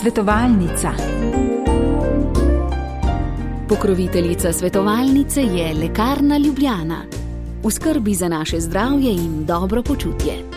Svetovalnica. Pokroviteljica svetovalnice je Lekarna Ljubljana. V skrbi za naše zdravje in dobro počutje.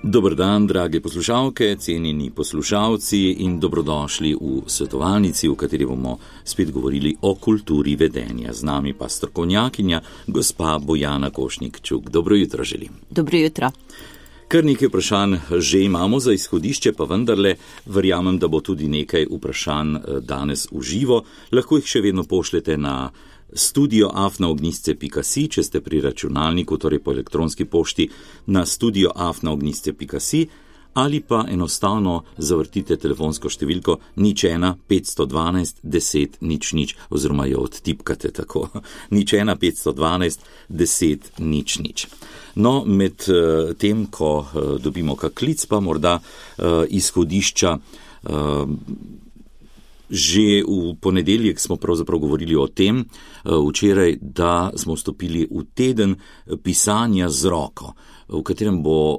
Dober dan, drage poslušalke, cenjeni poslušalci in dobrodošli v svetovalnici, v kateri bomo spet govorili o kulturi vedenja. Z nami pa strokovnjakinja, gospa Bojana Košnik-Čuk. Dobro jutro želim. Dobro jutro. Kar nekaj vprašanj že imamo za izhodišče, pa vendarle verjamem, da bo tudi nekaj vprašanj danes v živo. Lahko jih še vedno pošljete na studio@ognjisce.si, če ste pri računalniku, torej po elektronski pošti na studio@ognjisce.si, ali pa enostavno zavrtite telefonsko številko 01 512 10 00 oziroma jo odtipkate tako 01 512 10 00. No, med tem, ko dobimo kak klic, pa morda izhodišča. Že v ponedeljek smo pravzaprav govorili o tem, včeraj, da smo vstopili v teden pisanja z roko, v katerem bo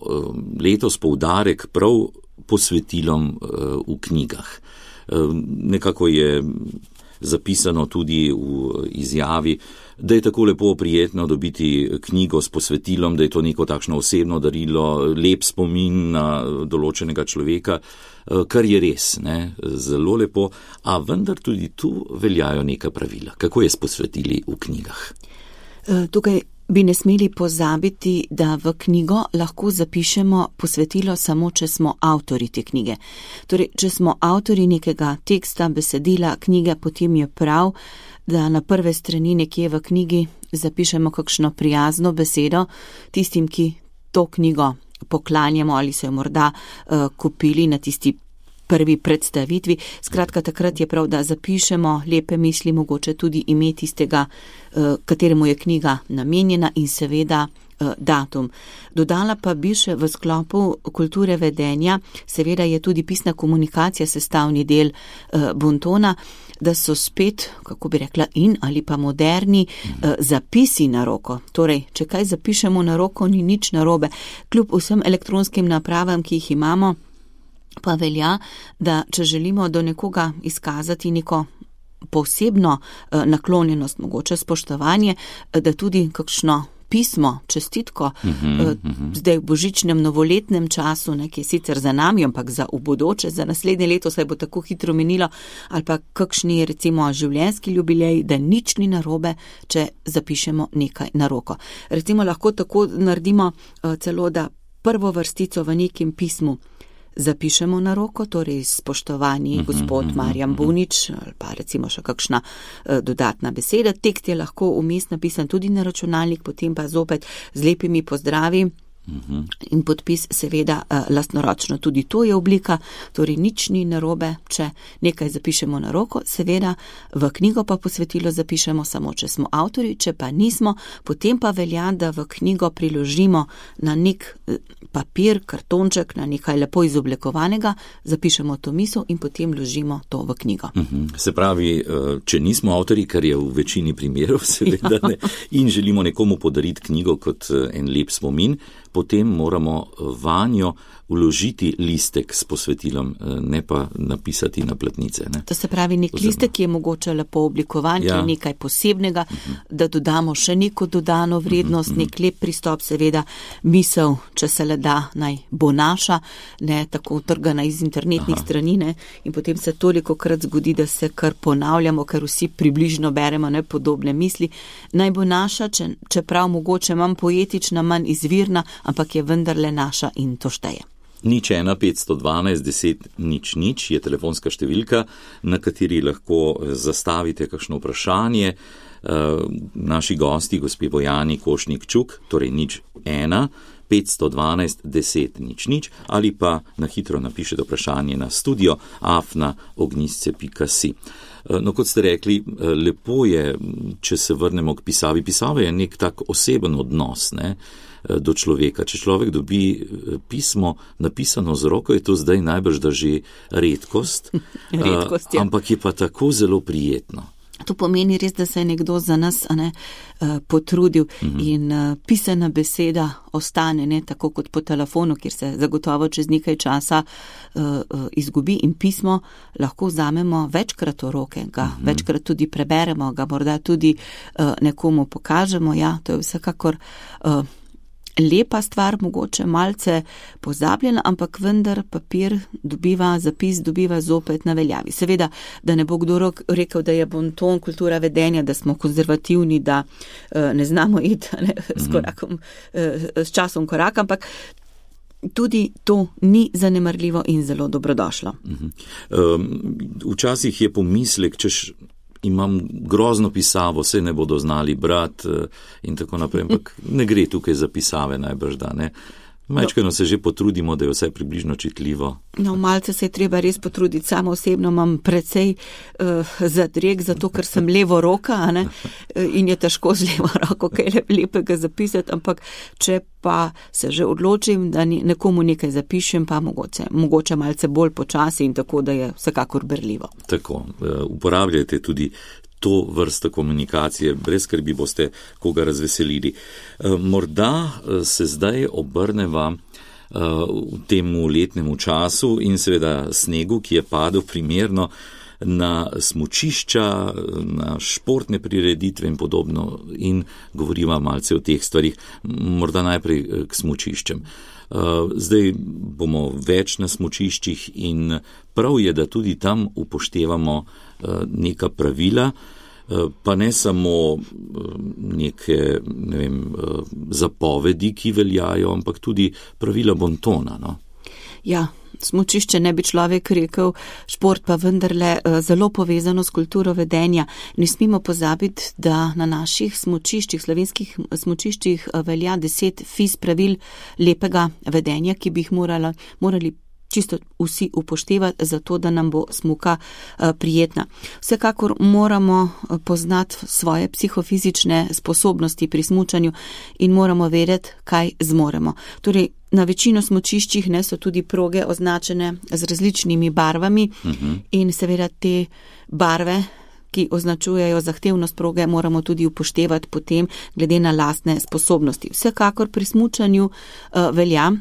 letos poudarek prav posvetilom v knjigah. Nekako je zapisano tudi v izjavi, da je tako lepo prijetno dobiti knjigo s posvetilom, da je to neko takšno osebno darilo, lep spomin na določenega človeka, kar je res, ne, zelo lepo, a vendar tudi tu veljajo neka pravila. Kako je s posvetili v knjigah? Tukaj bi ne smeli pozabiti, da v knjigo lahko zapišemo posvetilo samo, če smo avtori te knjige. Torej, če smo avtori nekega teksta, besedila, knjige, potem je prav, da na prve strani nekje v knjigi zapišemo kakšno prijazno besedo tistim, ki to knjigo poklanjamo ali so jo morda kupili na tisti prvi predstavitvi. Skratka, takrat je prav, da zapišemo lepe misli, mogoče tudi ime tistega, kateremu je knjiga namenjena in seveda datum. Dodala pa bi še v sklopu kulture vedenja, seveda je tudi pisna komunikacija sestavni del bontona, da so spet, kako bi rekla, in ali pa moderni zapisi na roko. Torej, če kaj zapišemo na roko, ni nič narobe. Kljub vsem elektronskim napravam, ki jih imamo, pa velja, da če želimo do nekoga izkazati neko posebno naklonjenost, mogoče spoštovanje, da tudi kakšno pismo, čestitko, zdaj v božičnem novoletnem času, ki je sicer za nami, ampak za v bodoče, za naslednje leto se bo tako hitro menilo, ali pa kakšni recimo življenjski jubilej, da nič ni narobe, če zapišemo nekaj na roko. Recimo lahko tako naredimo celo, da prvo vrstico v nekem pismu zapišemo na roko, torej spoštovani gospod Marjan Bunič, ali pa recimo še kakšna dodatna beseda. Tekst je lahko vmes napisan tudi na računalnik, potem pa zopet z lepimi pozdravi in podpis seveda lastnoročno. Tudi to je oblika, torej nič ni narobe, če nekaj zapišemo na roko, seveda v knjigo pa posvetilo zapišemo samo, če smo avtori, če pa nismo, potem pa velja, da v knjigo priložimo na nek papir, kartonček, na nekaj lepo izoblikovanega, zapišemo to misel in potem vložimo to v knjigo. Se pravi, če nismo avtori, kar je v večini primerov, seveda ne, in želimo nekomu podariti knjigo kot en lep spomin, potem moramo vanjo vložiti listek s posvetilom, ne pa napisati na platnice. Ne? To se pravi, nek listek je mogoče lepo oblikovan, ki je nekaj posebnega, da dodamo še neko dodano vrednost, nek lep pristop, seveda misel, če se le da, naj bo naša, ne tako trgana iz internetnih strani, ne? In potem se toliko krat zgodi, da se kar ponavljamo, ker vsi približno beremo podobne misli. Naj bo naša, čeprav mogoče manj poetična, manj izvirna, ampak je vendarle naša in to šteje. 01 512 10 00 je telefonska številka, na kateri lahko zastavite kakšno vprašanje. Naši gosti, gospe Bojani Košnik-Čuk, torej 01 512 10 00 ali pa na hitro napišete vprašanje na studio@ognjisce.si. No, kot ste rekli, lepo je, če se vrnemo k pisavi. Pisava je nek tak oseben odnos, ne, do človeka. Če človek dobi pismo napisano z roko, je to zdaj najbrž da že redkost, redkost, ampak je pa tako zelo prijetno. To pomeni res, da se je nekdo za nas potrudil in pisana beseda ostane, ne tako kot po telefonu, kjer se zagotovo čez nekaj časa izgubi, in pismo lahko vzamemo večkrat v roke, ga večkrat tudi preberemo, ga morda tudi nekomu pokažemo. Ja, to je vsekakor lepa stvar, mogoče malce pozabljena, ampak vendar papir zapis dobiva zopet na veljavi. Seveda, da ne bo kdo rekel, da je bonton kultura vedenja, da smo konzervativni, da ne znamo iti s časom korak, ampak tudi to ni zanemarljivo in zelo dobrodošlo. Včasih je pomislek, češ imam grozno pisavo, se ne bodo znali brati in tako naprej, ampak ne gre tukaj za pisave najbrž, da ne. Majčkeno se že potrudimo, da je vse približno čitljivo. No, malce se je treba res potruditi. Samo osebno imam precej zadreg, zato ker sem levo roka, in je težko z levo roko kaj lepega zapisati, ampak če pa se že odločim, da nekomu nekaj zapišem, pa mogoče malce bolj počasi in tako, da je vsekakor berljivo. Tako, uporabljajte tudi to vrsto komunikacije, brez skrbi boste koga razveselili. Morda se zdaj obrneva v temu letnemu času in seveda snegu, ki je padel primerno, na smučišča, na športne prireditve in podobno, in govoriva malce o teh stvarih, morda najprej k smučiščem. Zdaj bomo več na smučiščih in prav je, da tudi tam upoštevamo neka pravila, pa ne samo neke, zapovedi, ki veljajo, ampak tudi pravila bontona, no? Ja, smučišče ne bi človek rekel, šport pa vendarle zelo povezano s kulturo vedenja. Ne smemo pozabiti, da na naših smučiščih, slovenskih smučiščih velja 10 FIS pravil lepega vedenja, ki bi jih morali čisto vsi upoštevati, zato da nam bo smuka prijetna. Vsekakor moramo poznati svoje psihofizične sposobnosti pri smučanju in moramo vedeti, kaj zmoremo. Torej, na večino smučiščih so tudi proge označene z različnimi barvami in seveda te barve, ki označujejo zahtevnost proge, moramo tudi upoštevati potem glede na lastne sposobnosti. Vsekakor pri smučanju velja,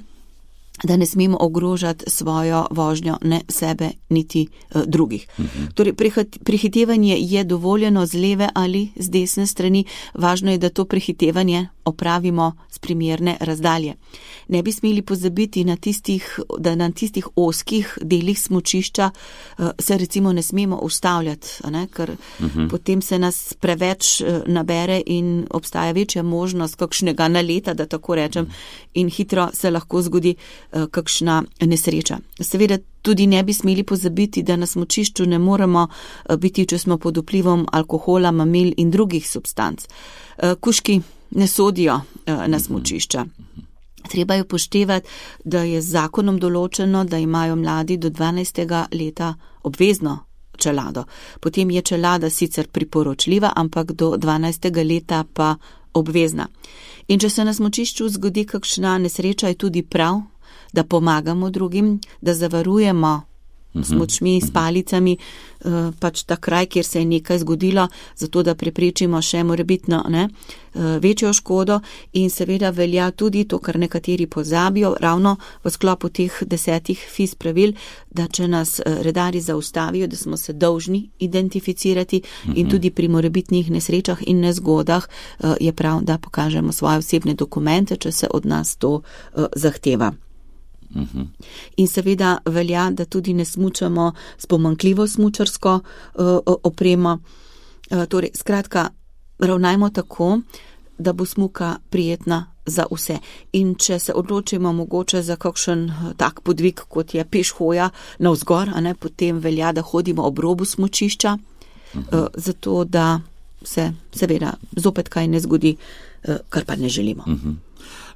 da ne smemo ogrožati svojo vožnjo, ne sebe, niti drugih. Torej, prehitevanje je dovoljeno z leve ali z desne strani, važno je, da to prehitevanje opravimo z primerne razdalje. Ne bi smeli pozabiti da na tistih ozkih delih smučišča se recimo ne smemo ustavljati, ker potem se nas preveč nabere in obstaja večja možnost kakšnega naleta, da tako rečem, in hitro se lahko zgodi kakšna nesreča. Seveda tudi ne bi smeli pozabiti, da na smučišču ne moremo biti, če smo pod vplivom alkohola, mamil in drugih substanc. Kužki ne sodijo na smučišča. Treba je upoštevati, da je z zakonom določeno, da imajo mladi do 12. leta obvezno čelado. Potem je čelada sicer priporočljiva, ampak do 12. leta pa obvezna. In če se na smučišču zgodi kakšna nesreča, je tudi prav, da pomagamo drugim, da zavarujemo s močmi, s palicami, pač ta kraj, kjer se je nekaj zgodilo, zato da preprečimo še morebitno večjo škodo. In seveda velja tudi to, kar nekateri pozabijo, ravno v sklopu teh 10 FIS pravil, da če nas redarji zaustavijo, da smo se dolžni identificirati in tudi pri morebitnih nesrečah in nezgodah je prav, da pokažemo svoje osebne dokumente, če se od nas to zahteva. In seveda velja, da tudi ne smučamo s pomanjkljivo smučarsko opremo. Torej, skratka, ravnajmo tako, da bo smuka prijetna za vse. In če se odločimo mogoče za kakšen tak podvig, kot je pešhoja navzgor, potem velja, da hodimo ob robu smučišča, zato da se seveda zopet kaj ne zgodi, kar pa ne želimo.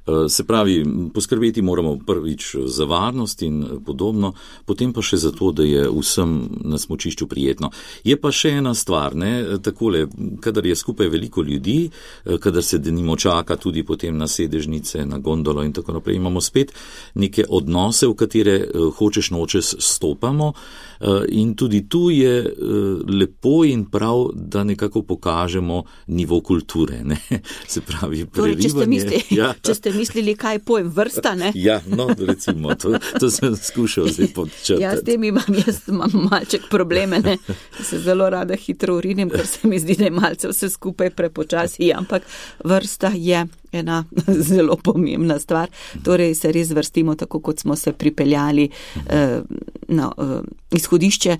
Se pravi, poskrbeti moramo prvič za varnost in podobno, potem pa še za to, da je vsem na smučišču prijetno. Je pa še ena stvar, takole, kadar je skupaj veliko ljudi, kadar se denimo čaka tudi potem na sedežnice, na gondolo in tako naprej, imamo spet neke odnose, v katere hočeš nočeš stopamo, in tudi tu je lepo in prav, da nekako pokažemo nivo kulture, ne? Se pravi, prerivanje. Če ste mislili, kaj pojem vrsta, ne? Ja, no, recimo, to sem skušal zdaj podčrtati. Ja, s tem imam malček probleme, ne? Se zelo rada hitro urinim, ker se mi zdi, da je malce vse skupaj prepočasi, ampak vrsta je ena zelo pomembna stvar. Torej se res vrstimo tako, kot smo se pripeljali na izhodišče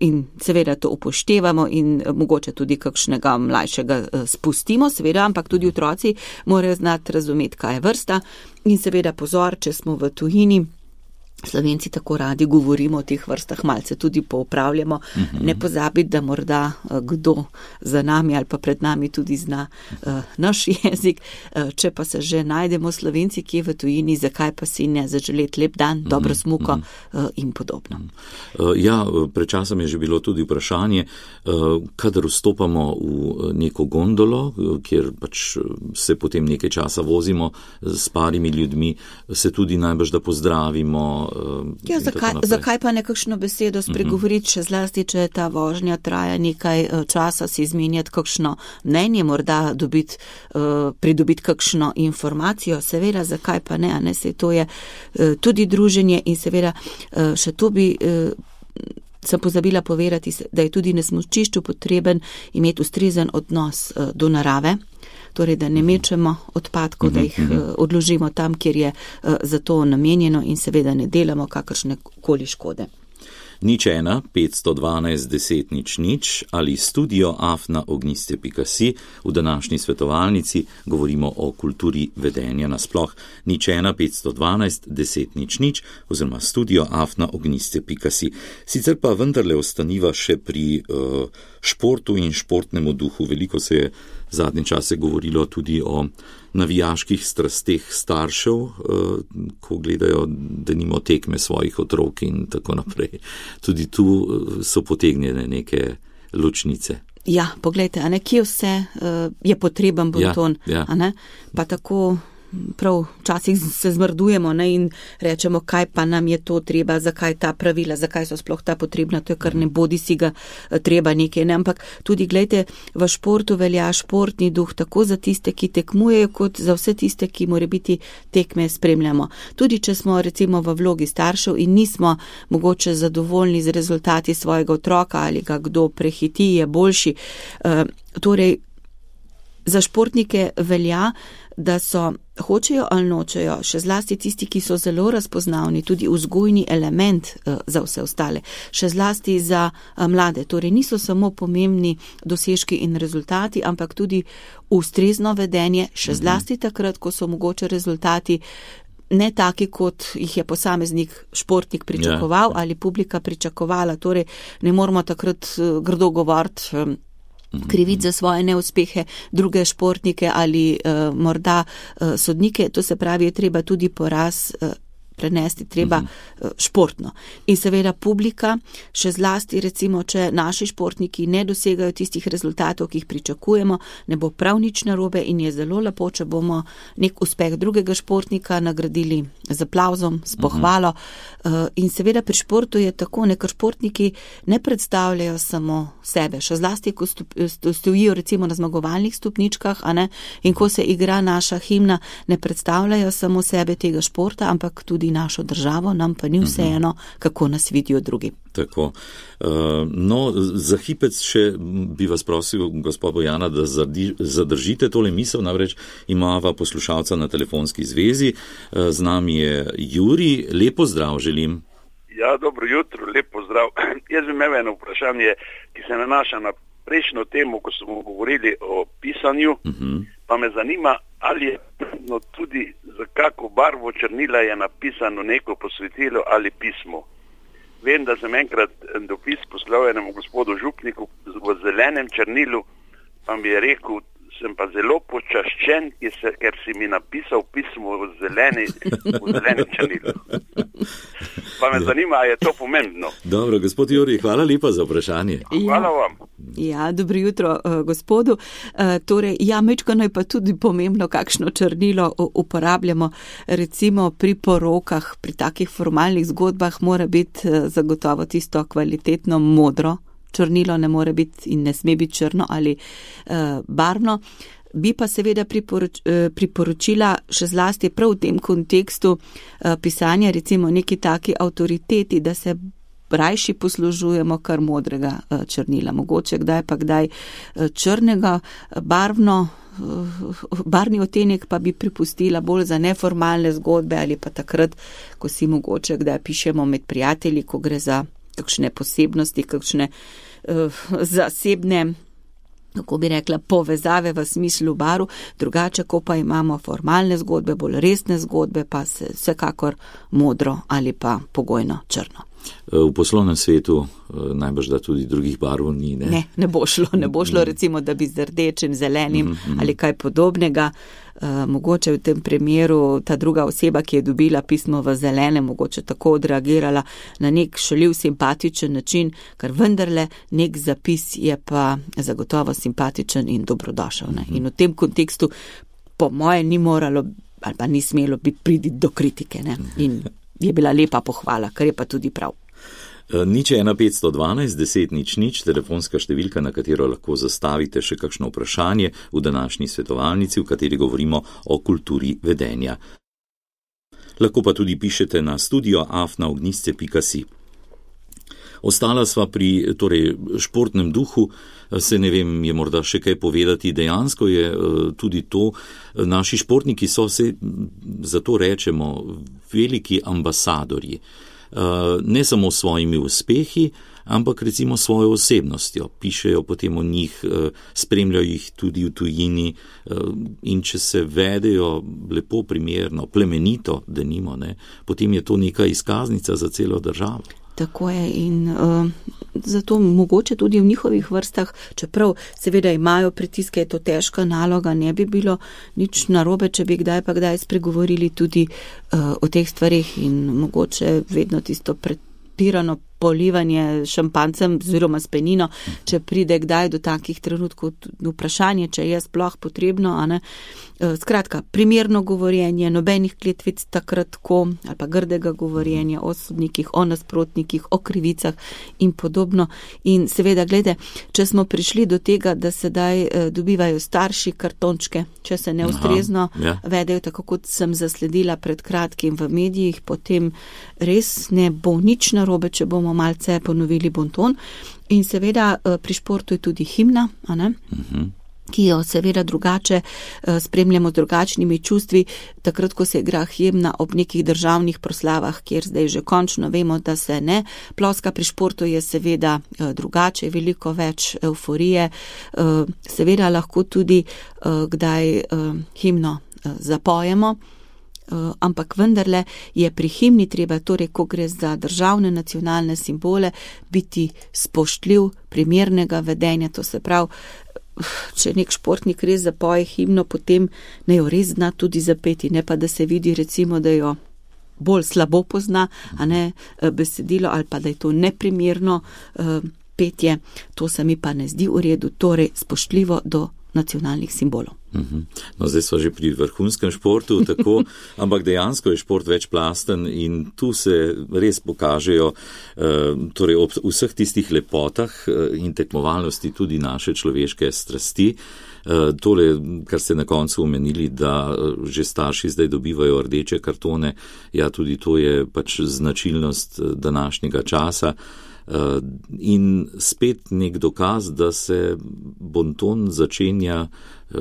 in seveda to upoštevamo in mogoče tudi kakšnega mlajšega spustimo, seveda, ampak tudi otroci morajo znati razumeti, kaj je vrsta in seveda pozor, če smo v tujini. Slovenci tako radi govorimo o teh vrstah, malce tudi popravljamo. Ne pozabiti, da morda kdo za nami ali pa pred nami tudi zna naš jezik. Če pa se že najdemo Slovenci, ki je v tujini, zakaj pa si ne zaželeti lep dan, dobro smuko in podobno. Ja, pred časom je že bilo tudi vprašanje, kadar vstopamo v neko gondolo, kjer pač se potem nekaj časa vozimo s parimi ljudmi, se tudi najbrž da pozdravimo. Ja, zakaj pa nekakšno besedo spregovoriti, še zlasti, če ta vožnja traja nekaj časa, si izmenjati kakšno mnenje, morda pridobiti kakšno informacijo, seveda, zakaj pa ne, a ne, saj to je tudi druženje in seveda še to bi sem pozabila povedati, da je tudi na smučišču potreben imeti ustrezen odnos do narave. Torej, da ne mečemo odpadkov, da jih odložimo tam, kjer je za to namenjeno in seveda ne delamo kakršne koli škode. 01 512 10 00 ali studio@ogniste.si. V današnji svetovalnici govorimo o kulturi vedenja nasploh. 01 512 10 00 oziroma studio@ogniste.si. Sicer pa vendarle ostaniva še pri športu in športnemu duhu. Veliko se je zadnje čase govorilo tudi o navijaških strasteh staršev, ko gledajo denimo tekme svojih otrok in tako naprej. Tudi tu so potegnjene neke ločnice. Ja, poglejte, a ne, kje vse je potreben bonton, a ne, pa tako prav včasih se zmrdujemo, ne, in rečemo, kaj pa nam je to treba, zakaj ta pravila, zakaj so sploh ta potrebna, to je kar ne bodi si ga treba nekaj, ne, ampak tudi, glejte, v športu velja športni duh tako za tiste, ki tekmujejo, kot za vse tiste, ki morebiti tekme spremljamo. Tudi če smo recimo v vlogi staršev in nismo mogoče zadovoljni z rezultati svojega otroka ali ga kdo prehiti, je boljši. Torej, za športnike velja, da so, hočejo ali nočejo, še zlasti tisti, ki so zelo razpoznavni, tudi vzgojni element za vse ostale, še zlasti za mlade. Torej niso samo pomembni dosežki in rezultati, ampak tudi ustrezno vedenje, še zlasti takrat, ko so mogoče rezultati ne taki, kot jih je posameznik športnik pričakoval ali publika pričakovala. Torej ne moramo takrat grdo govoriti, kriviti za svoje neuspehe druge športnike ali morda sodnike. To se pravi, je treba tudi poraz prenesti treba športno. In seveda publika, še zlasti recimo, če naši športniki ne dosegajo tistih rezultatov, ki jih pričakujemo, ne bo prav nič narobe in je zelo lepo, če bomo nek uspeh drugega športnika nagradili z aplavzom, s pohvalo. In seveda pri športu je tako, ker športniki ne predstavljajo samo sebe, še zlasti, ko stojijo recimo na zmagovalnih stopničkah, a ne, in ko se igra naša himna, ne predstavljajo samo sebe tega športa, ampak tudi našo državo, nam pa ni vseeno, kako nas vidijo drugi. Tako. No, za hipec še bi vas prosil, gospod Bojana, da zadržite tole misel, namreč imava poslušalca na telefonski zvezi. Z nami je Juri. Lepo zdrav želim. Ja, dobro jutro, lepo zdrav. Jaz bi imel eno vprašanje, ki se nanaša na prejšnjo temo, ko smo govorili o pisanju, pa me zanima, ali je tudi za kako barvo črnila je napisano neko posvetilo ali pismo. Vem, da sem enkrat dopis poslal enemu gospodu župniku v zelenem črnilu, pa mi je rekel, sem pa zelo počaščen, ker si mi napisal pismo v zelenem črnilu. Pa me zanima, je to pomembno. Dobro, gospod Jurij, hvala lepa za vprašanje. Hvala vam. Ja, dobro jutro, gospodu. Torej, mečkano je pa tudi pomembno, kakšno črnilo uporabljamo. Recimo pri porokah, pri takih formalnih zgodbah mora biti zagotovo tisto kvalitetno modro črnilo, ne more biti in ne sme biti črno ali barvno. Bi pa seveda priporočila še zlasti prav v tem kontekstu pisanja, recimo neki taki avtoriteti, da se rajši poslužujemo kar modrega črnila. Mogoče kdaj črnega, barvni odtenek pa bi pripustila bolj za neformalne zgodbe ali pa takrat, ko si mogoče kdaj pišemo med prijatelji, ko gre za kakšne posebnosti, kakšne zasebne, kako bi rekla, povezave v smislu barv, drugače, ko pa imamo formalne zgodbe, bolj resne zgodbe, pa se vsekakor modro ali pa pogojno črno. V poslovnem svetu najbrž da tudi drugih barv ni, ne? Ne bo šlo recimo, da bi z rdečim, zelenim ali kaj podobnega. Mogoče v tem primeru ta druga oseba, ki je dobila pismo v zelenem, mogoče tako odreagirala na nek šaljiv, simpatičen način, ker vendarle nek zapis je pa zagotovo simpatičen in dobrodošel. Ne? In v tem kontekstu po moje ni moralo ali pa ni smelo priti do kritike. Ne? In je bila lepa pohvala, kar je pa tudi prav. 01512 10 00, telefonska številka, na katero lahko zastavite še kakšno vprašanje v današnji svetovalnici, v kateri govorimo o kulturi vedenja. Lahko pa tudi pišete na studio@ognisce.si. Ostala sva pri športnem duhu, se ne vem, je morda še kaj povedati. Dejansko je tudi to, naši športniki so se, zato rečemo, veliki ambasadorji. Ne samo s svojimi uspehi, ampak recimo svojo osebnostjo. Pišejo potem o njih, spremljajo jih tudi v tujini in če se vedejo lepo, primerno, plemenito, denimo, ne, potem je to neka izkaznica za celo državo. Tako je in zato mogoče tudi v njihovih vrstah, čeprav seveda imajo pritiske, je to težka naloga, ne bi bilo nič narobe, če bi kdaj pa kdaj spregovorili tudi o teh stvarih in mogoče vedno tisto pretirano polivanje šampancem oziroma s penino, če pride kdaj do takih trenutkov vprašanje, če je sploh potrebno, a ne. Skratka, primerno govorjenje, nobenih kletvic takrat, ali pa grdega govorjenja o sodnikih, o nasprotnikih, o krivicah in podobno. In seveda, glede, če smo prišli do tega, da sedaj dobivajo starši kartončke, če se neustrezno vedejo, tako kot sem zasledila pred kratkim v medijih, potem res ne bo nič narobe, če bomo malce ponovili bonton. In seveda pri športu je tudi himna, a ne? Ki jo seveda drugače spremljamo z drugačnimi čustvi, takrat, ko se igra himna ob nekih državnih proslavah, kjer zdaj že končno vemo, da se ne ploska. Pri športu je seveda drugače, veliko več euforije, seveda lahko tudi kdaj himno zapojemo, ampak vendarle je pri himni treba, torej, ko gre za državne nacionalne simbole, biti spoštljiv, primernega vedenja, to se pravi, če nek športnik res zapoje himno, potem ne jo res zna tudi zapeti, ne pa da se vidi recimo, da jo bolj slabo pozna, a ne besedilo, ali pa da je to neprimerno petje, to se mi pa ne zdi v redu, torej spoštljivo do nacionalnih simbolov. No, zdaj smo že pri vrhunskem športu, tako, ampak dejansko je šport večplasten in tu se res pokažejo, torej ob vseh tistih lepotah in tekmovalnosti tudi naše človeške strasti. Tole, kar ste na koncu omenili, da že starši zdaj dobivajo rdeče kartone, ja, tudi to je pač značilnost današnjega časa. In spet nek dokaz, da se bonton začenja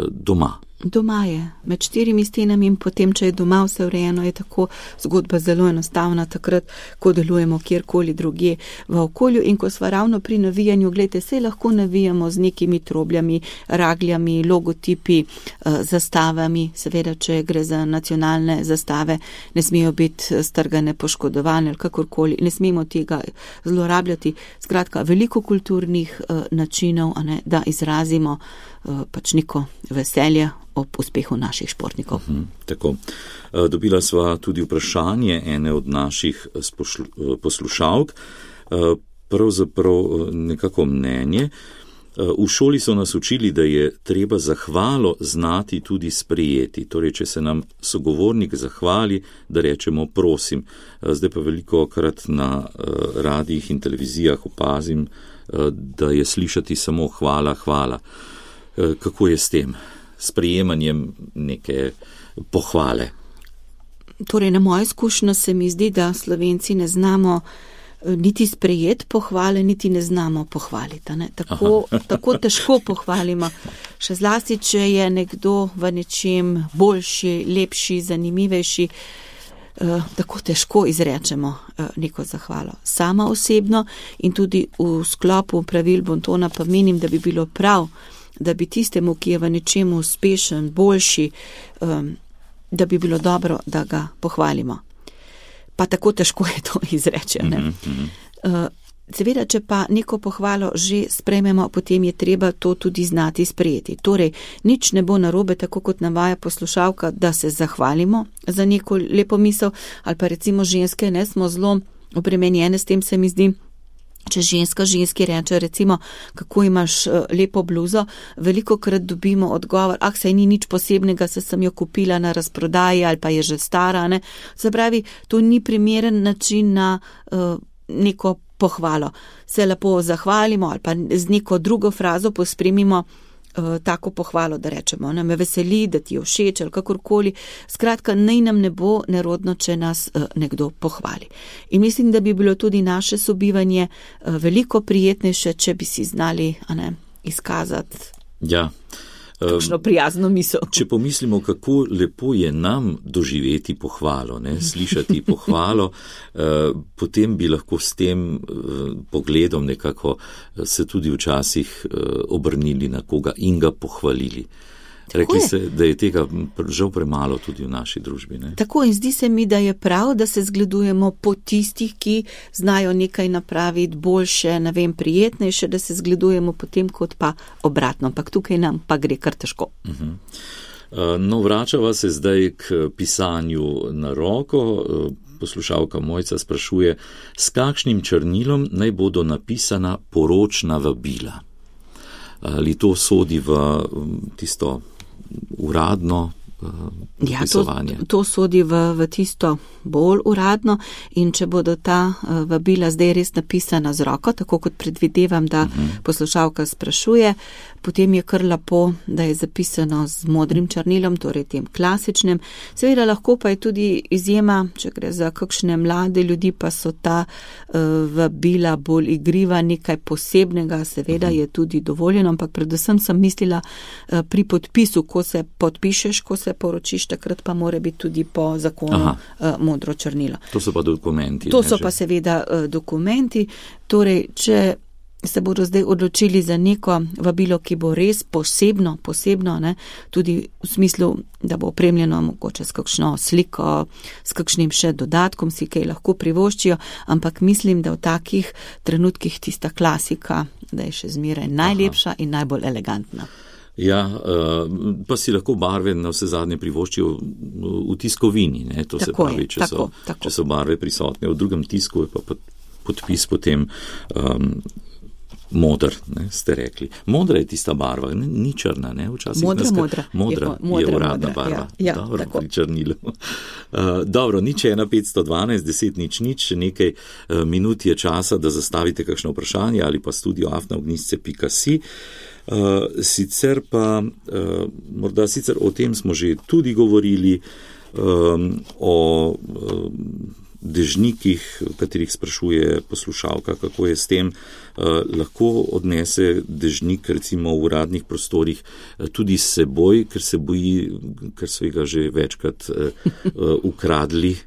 doma. Doma je, med 4 stenami in potem, če je doma vse urejeno, je tako zgodba zelo enostavna takrat, ko delujemo kjerkoli drugje v okolju. In ko sva ravno pri navijanju, gledajte, se lahko navijamo z nekimi trobljami, ragljami, logotipi, zastavami, seveda, če gre za nacionalne zastave, ne smejo biti strgane, poškodovane ali kakorkoli, ne smemo tega zlorabljati. Skratka, veliko kulturnih načinov, a ne, da izrazimo pač neko veselje ob uspehu naših športnikov. Tako. Dobila sva tudi vprašanje ene od naših poslušalk, pravzaprav nekako mnenje. V šoli so nas učili, da je treba zahvalo znati tudi sprejeti. Torej, če se nam sogovornik zahvali, da rečemo prosim. Zdaj pa veliko krat na radijih in televizijah opazim, da je slišati samo hvala, hvala. Kako je s tem sprejemanjem neke pohvale? Torej, na mojo izkušnjo se mi zdi, da Slovenci ne znamo niti sprejeti pohvale, niti ne znamo pohvaliti. Ne? Tako težko pohvalimo. Še zlasti, če je nekdo v nečem boljši, lepši, zanimivejši, tako težko izrečemo neko zahvalo. Sama osebno in tudi v sklopu pravil Bontona pa menim, da bi bilo prav, da bi tistemu, ki je v nečem uspešen, boljši, da bi bilo dobro, da ga pohvalimo. Pa tako težko je to izreči. Seveda, če pa neko pohvalo že sprejmemo, potem je treba to tudi znati sprejeti. Torej, nič ne bo narobe, tako kot navaja poslušalka, da se zahvalimo za neko lepo misel, ali pa recimo ženske, ne, smo zelo obremenjene s tem, se mi zdi. Če ženski reče, recimo, kako imaš lepo bluzo, veliko krat dobimo odgovor, saj ni nič posebnega, se sem jo kupila na razprodaji ali pa je že stara, ne. Se pravi, to ni primeren način na neko pohvalo. Se lepo zahvalimo ali pa z neko drugo frazo pospremimo tako pohvalo, da rečemo, ne, me veseli, da ti je všeč ali kakorkoli. Skratka, naj nam ne bo nerodno, če nas nekdo pohvali. In mislim, da bi bilo tudi naše sobivanje veliko prijetnejše, če bi si znali izkazati kakšno prijazno misel. Če pomislimo, kako lepo je nam doživeti pohvalo, slišati pohvalo, potem bi lahko s tem pogledom nekako se tudi včasih obrnili na koga in ga pohvalili. Rekli ste, da je tega žal premalo tudi v naši družbi. Ne? Tako, in zdi se mi, da je prav, da se zgledujemo po tistih, ki znajo nekaj napraviti boljše, prijetnejše, da se zgledujemo potem kot pa obratno. Ampak tukaj nam pa gre kar težko. No, vračava se zdaj k pisanju na roko. Poslušalka Mojca sprašuje, s kakšnim črnilom naj bodo napisana poročna vabila? Ali to sodi v tisto uradno pisovanje? To sodi v tisto bolj uradno, in če bodo ta vabila zdaj res napisana z roko, tako kot predvidevam, da poslušalka sprašuje, potem je kar lepo, da je zapisano z modrim črnilom, torej tem klasičnem. Seveda lahko pa je tudi izjema, če gre za kakšne mlade ljudi, pa so ta vabila bolj igriva, nekaj posebnega, seveda je tudi dovoljeno, ampak predvsem sem mislila pri podpisu, ko se podpišeš, ko se poročiš, takrat pa mora biti tudi po zakonu modro črnilo. To so pa dokumenti. To so pa seveda dokumenti. Torej, če se bodo zdaj odločili za neko vabilo, ki bo res posebno, tudi v smislu, da bo opremljeno mogoče s kakšno sliko, s kakšnim še dodatkom, si kaj lahko privoščijo, ampak mislim, da v takih trenutkih tista klasika, da je še zmeraj najlepša in najbolj elegantna. Ja, pa si lahko barve na vse zadnje privoščijo v tiskovini, ne? To tako se pravi, če so barve prisotne. V drugem tisku je pa podpis potem modr, ste rekli. Modra je tista barva, ni črna, ne? Včasih modra je uradna barva. Ja, dobro, tako. Pri črnilu. Dobro, 01512 10 nič, nekaj minut je časa, da zastavite kakšno vprašanje ali pa studio@ognisce.si. Sicer pa, morda sicer o tem smo že tudi govorili, o dežnikih, v katerih sprašuje poslušalka, kako je s tem, lahko odnese dežnik recimo v uradnih prostorih tudi s seboj, ker se boji, ker so ga že večkrat ukradli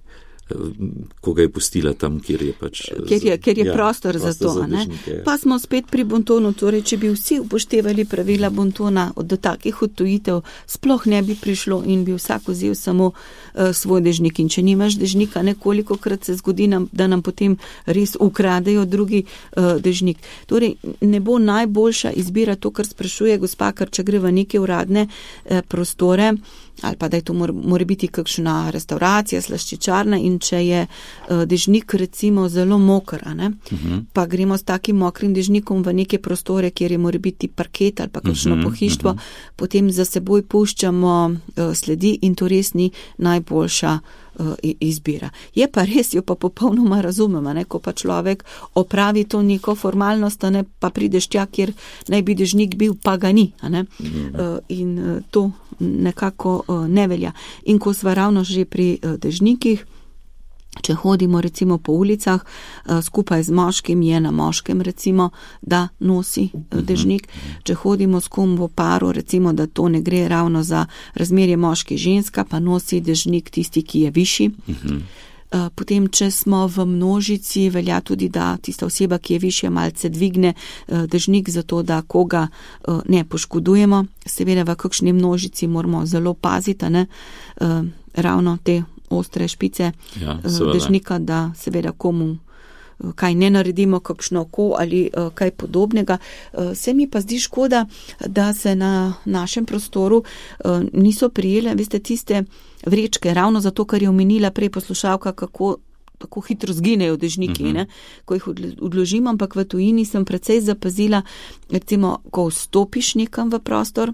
ko ga je pustila tam, kjer je pač... Ker je prostor za to. Dežnike, pa smo spet pri bontonu, torej, če bi vsi upoštevali pravila bontona, do takih odtujitev sploh ne bi prišlo in bi vsak vzel samo svoj dežnik. In če nimaš dežnika, nekolikokrat se zgodi nam, da nam potem res ukradejo drugi dežnik. Torej, ne bo najboljša izbira to, kar sprašuje gospa, ker če gre v neke uradne prostore, ali pa da je to mora biti kakšna restauracija, slaščičarna in če je dežnik recimo zelo mokr, pa gremo s takim mokrim dežnikom v neke prostore, kjer je mora biti parket ali pa kakšno pohištvo, potem za seboj puščamo sledi in to res ni najboljša izbira. Je pa res, jo pa popolnoma razumemo, ko pa človek opravi to neko formalnost, pa prideš tja, kjer naj bi dežnik bil, pa ga ni. In to nekako ne velja. In ko sva ravno že pri dežnikih, če hodimo recimo po ulicah, skupaj z moškim je na moškem recimo, da nosi dežnik. Če hodimo s kom v paru, recimo, da to ne gre ravno za razmerje moški-ženska, pa nosi dežnik tisti, ki je višji. Potem, če smo v množici, velja tudi, da tista oseba, ki je višja, malce dvigne dežnik, zato da koga ne poškodujemo. Seveda v kakšni množici moramo zelo paziti, ravno te ostre špice dežnika, da seveda komu kaj ne naredimo, kakšno oko ali kaj podobnega. Se mi pa zdi škoda, da se na našem prostoru niso prijele, veste, tiste vrečke, ravno zato, ker je omenila prej poslušalka, kako hitro zginejo dežniki, ko jih odložimo, ampak v tujini sem precej zapazila, recimo, ko vstopiš nekam v prostor,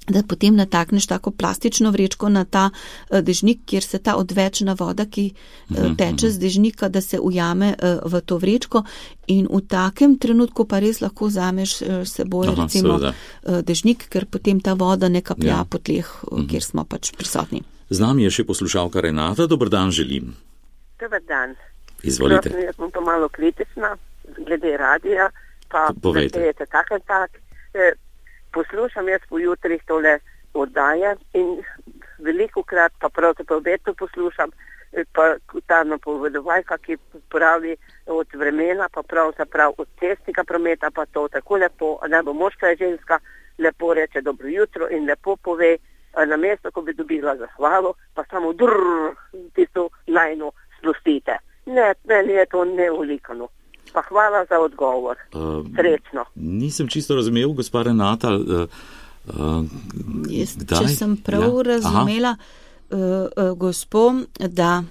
da potem natakneš tako plastično vrečko na ta dežnik, kjer se ta odvečna voda, ki teče z dežnika, da se ujame v to vrečko in v takem trenutku pa res lahko vzameš seboj recimo dežnik, ker potem ta voda ne kaplja po tleh, kjer smo pač prisotni. Z nami je še poslušalka Renata. Dober dan želim. Dober dan. Izvolite. Jaz sem pa malo kritična glede radija, pa povejte. Tak. Poslušam jaz po jutrih tole oddaje in velikokrat pa pravzaprav veto poslušam, pa ta napovedovalka, ki pravi od vremena, pa pravzaprav od cestnega prometa, pa to tako lepo, ne bo moška je ženska, lepo reče dobro jutro in lepo pove, na mesto, ko bi dobila zahvalo, pa samo tisto lajno spustite. Ne, meni je to neulikano. Pa hvala za odgovor. Srečno. Nisem čisto razumel, gospa Renata. Če sem prav razumela, gospo, da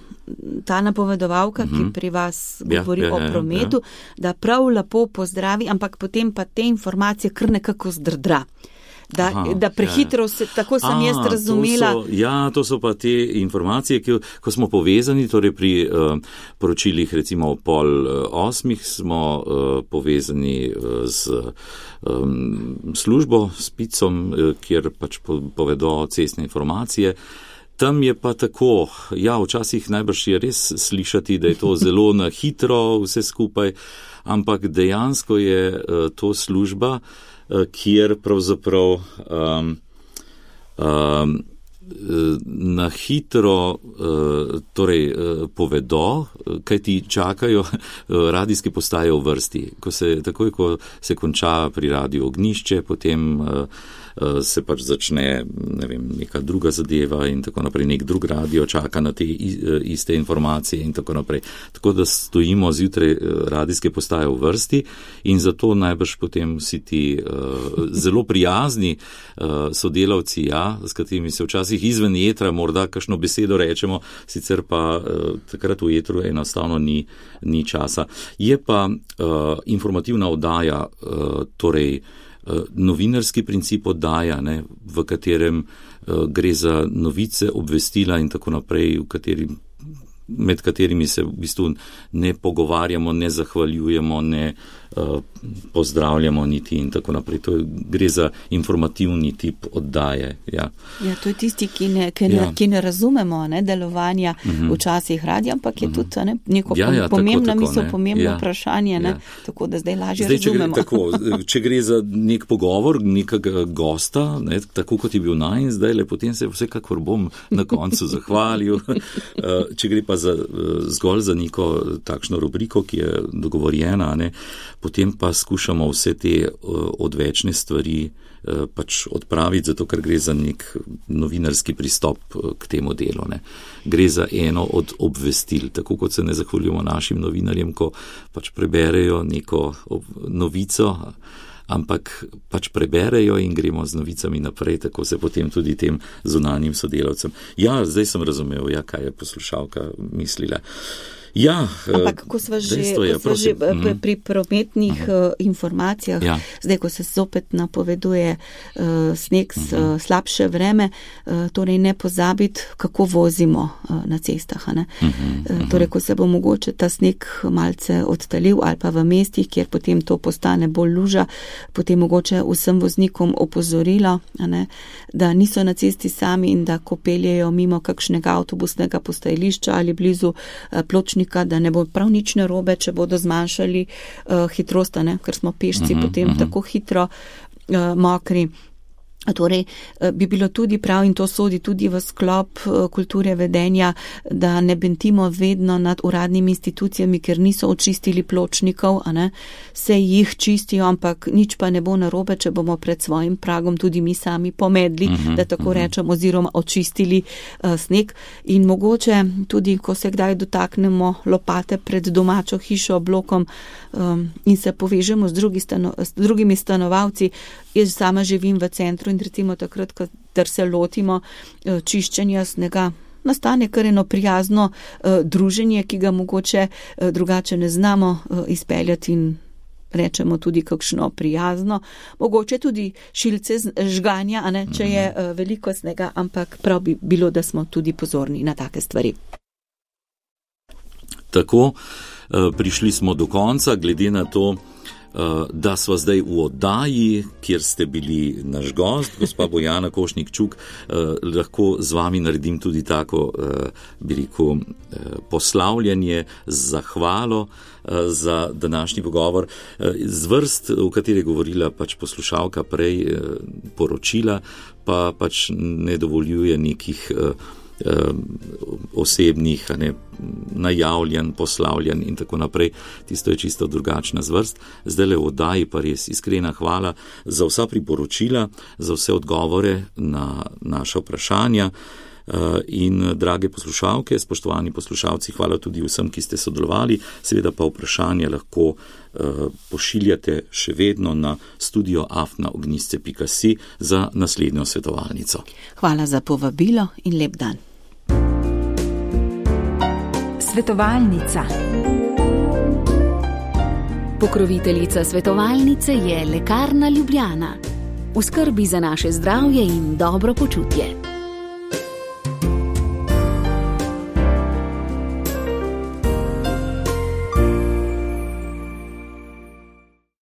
ta napovedovalka, ki pri vas govori o prometu, da prav lepo pozdravi, ampak potem pa te informacije kar nekako zdrdra. Da prehitro se, tako sem jaz razumela. To so pa te informacije, ko smo povezani, torej pri poročilih recimo o 7:30 smo povezani z službo, s PIC-om, kjer pač povedo cestne informacije. Tam je pa tako, včasih najbrž je res slišati, da je to zelo na hitro vse skupaj, ampak dejansko je to služba, kjer pravzaprav na hitro povedo, kaj ti čakajo radijske postaje v vrsti. Takoj, ko se konča pri radiju Ognjišče, potem se pač začne, neka druga zadeva in tako naprej, nek drug radio čaka na te iste informacije in tako naprej. Tako da stojimo zjutraj radijske postaje v vrsti in zato najbrž potem vsi ti zelo prijazni sodelavci, s katerimi se včasih izven etra morda kakšno besedo rečemo, sicer pa takrat v etru enostavno ni časa. Je pa informativna oddaja, torej novinarski princip oddaja, v katerem gre za novice, obvestila in tako naprej, med katerimi se v bistvu ne pogovarjamo, ne zahvaljujemo, pozdravljamo niti in tako naprej. Gre za informativni tip oddaje. Ja, to je tisti, ki ne razumemo delovanja včasih radija, ampak je tudi neko pomembna misel, pomembno vprašanje, tako da zdaj lažje razumemo. Če gre za nek pogovor nekega gosta, tako kot je bil najin, zdaj potem se vsekakor bom na koncu zahvalil. Če gre pa zgolj za neko takšno rubriko, ki je dogovorjena, potem pa skušamo vse te odvečne stvari pač odpraviti, zato ker gre za nek novinarski pristop k temu delu. Gre za eno od obvestil, tako kot se ne zahvaljujemo našim novinarjem, ko pač preberejo neko novico, ampak pač preberejo in gremo z novicami naprej, tako se potem tudi tem zunanjim sodelavcem. Ja, zdaj sem razumel, kaj je poslušalka mislila. Ja, ampak ko sva že pri prometnih informacijah, zdaj ko se zopet napoveduje sneg, slabše vreme, torej ne pozabiti, kako vozimo na cestah. Torej, ko se bo mogoče ta sneg malce odtalil ali pa v mestih, kjer potem to postane bolj luža, potem mogoče vsem voznikom opozorilo, da niso na cesti sami in da ko peljejo mimo kakšnega avtobusnega postajališča ali blizu pločnika, da ne bo prav nič narobe, če bodo zmanjšali hitrost, ker smo pešci potem tako hitro mokri. Torej, bi bilo tudi prav, in to sodi tudi v sklop kulture vedenja, da ne bentimo vedno nad uradnimi institucijami, ker niso očistili pločnikov, se jih čistijo, ampak nič pa ne bo narobe, če bomo pred svojim pragom tudi mi sami pomedli, da tako rečem, oziroma očistili sneg. In mogoče tudi, ko se kdaj dotaknemo lopate pred domačo hišo, blokom in se povežemo z drugimi stanovalci. Jaz sama živim v centru in recimo takrat, kadar se lotimo čiščenja snega, nastane kar eno prijazno druženje, ki ga mogoče drugače ne znamo izpeljati in rečemo tudi kakšno prijazno. Mogoče tudi šilce žganja, če je veliko snega, ampak prav bi bilo, da smo tudi pozorni na take stvari. Tako, prišli smo do konca, glede na to, da sva zdaj v oddaji, kjer ste bili naš gost, gospa Bojana Košnik-Čuk, lahko z vami naredim tudi tako, bi rekel, poslavljanje, zahvalo za današnji pogovor. Z vrst, v kateri je govorila pač poslušalka prej, poročila, pa pač ne dovoljuje nekih osebnih, najavljen, poslavljen in tako naprej. Tisto je čisto drugačna zvrst. Zdaj v oddaji pa res iskrena hvala za vsa priporočila, za vse odgovore na naša vprašanja. In drage poslušalke, spoštovani poslušalci, hvala tudi vsem, ki ste sodelovali. Seveda pa vprašanje lahko pošiljate še vedno na studio@ognisce.si za naslednjo svetovalnico. Hvala za povabilo in lep dan. Svetovalnica. Pokroviteljica svetovalnice je Lekarna Ljubljana. V skrbi za naše zdravje in dobro počutje.